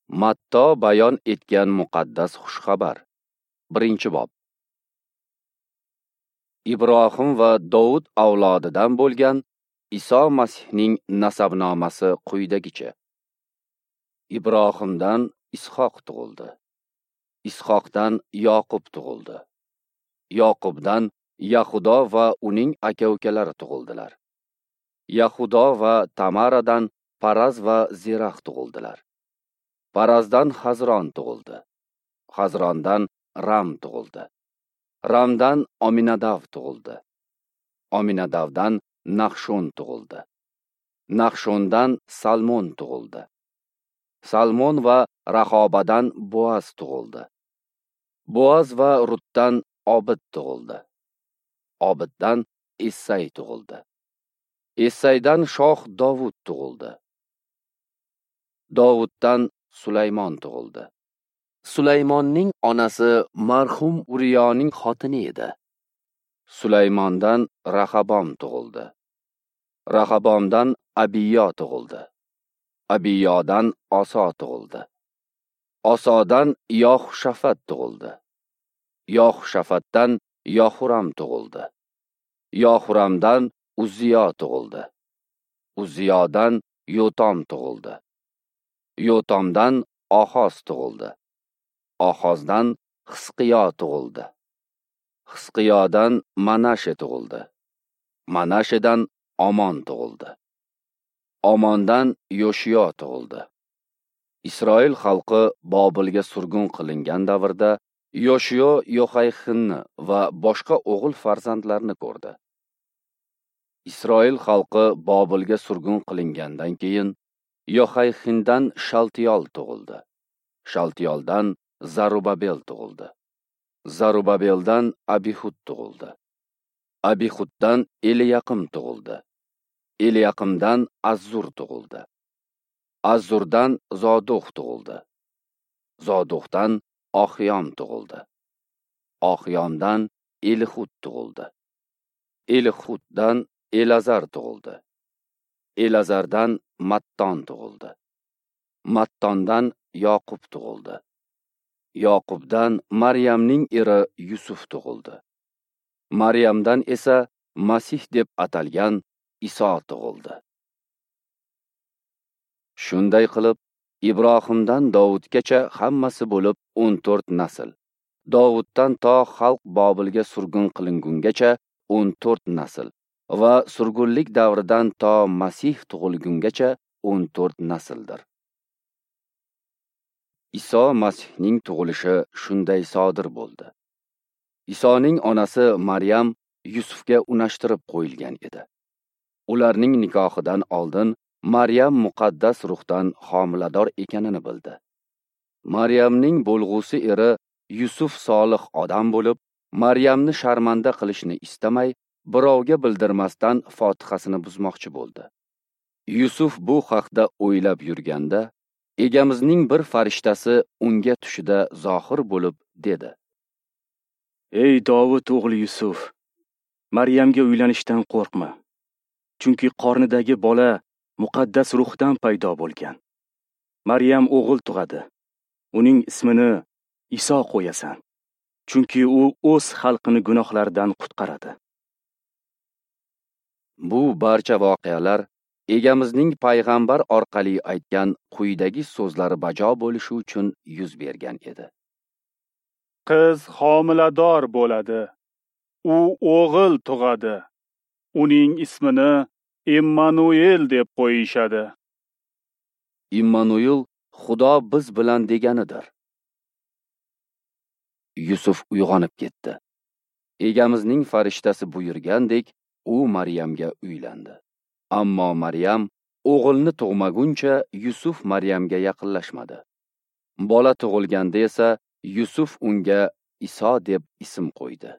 Matto bayon etgan muqaddas xushxabar. 1-bob. Ibrohim va Dovud avlodidan bo'lgan Iso Masihning nasabnomasi quyidagicha. Ibrohimdan Ishoq tug'ildi. Ishoqdan Yoqub tug'ildi. Yoqubdan Yahudo va uning aka-ukalari tug'ildilar. Yahudo va Tamaradan Paraz va Zerax tug'ildilar. Parazdan Hazron tug'ildi. Hazrondan Ram tug'ildi. Ramdan Ominadav tug'ildi. Ominadavdan Nahshon tug'ildi. Nahshondan Salmon tug'ildi. Salmon va Rahobadan Boaz tug'ildi. Boaz va Rutdan Obid tug'ildi. Obiddan Issay tug'ildi. Essaydan shoh Dovud tug'ildi. Dovuddan Sulaymon tug'ildi. Sulaymonning onasi marhum Uriyoning xotini edi. Sulaymondan Rahabom tug'ildi. Rahabomdan Abiyo tug'ildi. Abiyodan Oso tug'ildi. Osodan Yohushafat tug'ildi. Yohushafatdan Yohuram tug'ildi. Yohuramdan Uzziyo tug'ildi. Uzziyodan Yotom tug'ildi. Yotomdan Ohoz tug'ildi. Ohozdan Xisqiyo tug'ildi. Xisqiyodan Manashe tug'ildi. Manashedan Omon tug'ildi. Omondan Yoshiyo tug'ildi. Isroil xalqi Bobilga surgun qilingan davrda Yoshiyo Yohayxinni va boshqa o'g'il farzandlarni ko'rdi. Isroil xalqi Bobilga surgun qilingandan keyin Yohayxindan Shaltiyol tug'ildi. Shaltiyoldan Zarubabel tug'ildi. Zarubabeldan Abihud tug'ildi. Abihuddan Eliyaqim tug'ildi. Eliyaqimdan Azzur tug'ildi. Azzurdan Zoduq tug'ildi. Zoduqdan Oxiyom tug'ildi. Oxiyomdan Elihud tug'ildi. Elihuddan Elazar tug'ildi. Elazardan Matton tug'ildi. Mattondan Yoqub tug'ildi. Yoqubdan Maryamning eri Yusuf tug'ildi. Maryamdan esa Masih deb atalgan Iso tug'ildi. Shunday qilib, Ibrohimdan Dovudgacha hammasi bo'lib 14 nasl. Dovuddan to xalq Bobilga surgun qilingungacha 14 nasl va surgunlik davridan to Masih tug'ilgungacha 14 nasldir. Iso Masihning tug'ilishi shunday sodir bo'ldi. Isoning onasi Maryam Yusufga unashtirib qo'yilgan edi. Ularning nikohidan oldin Maryam muqaddas ruhdan homilador ekanini bildi. Maryamning bo'lg'usi eri Yusuf solih odam bo'lib, Maryamni sharmanda qilishni istamay, birovga bildirmasdan fotihasini buzmoqchi bo'ldi. Yusuf bu haqda o'ylab yurganda, Egamizning bir farishtasi unga tushida zohir bo'lib dedi: Ey Dovud o'g'li Yusuf, Maryamga uylanishdan qo'rqma. Chunki qornidagi bola muqaddas ruhdan paydo bo'lgan. Maryam o'g'il tug'adi. Uning ismini Iso qo'yasan. Chunki u o'z xalqini gunohlaridan qutqaradi. Bu barcha voqealar Egamizning payg'ambar orqali aytgan quyidagi so'zlari bajo bo'lishi uchun yuz bergan edi. Qiz homilador bo'ladi. U o'g'il tug'adi. Uning ismini Immanuel deb qo'yishadi. Immanuel Xudo biz bilan deganidir. Yusuf uyg'onib ketdi. Egamizning farishtasi buyurgandek, u Maryamga uylandi. Ammo Maryam o'g'ilni tug'maguncha Yusuf Maryamga yaqinlashmadi. Bola tug'ilganda esa Yusuf unga Iso deb ism qo'ydi.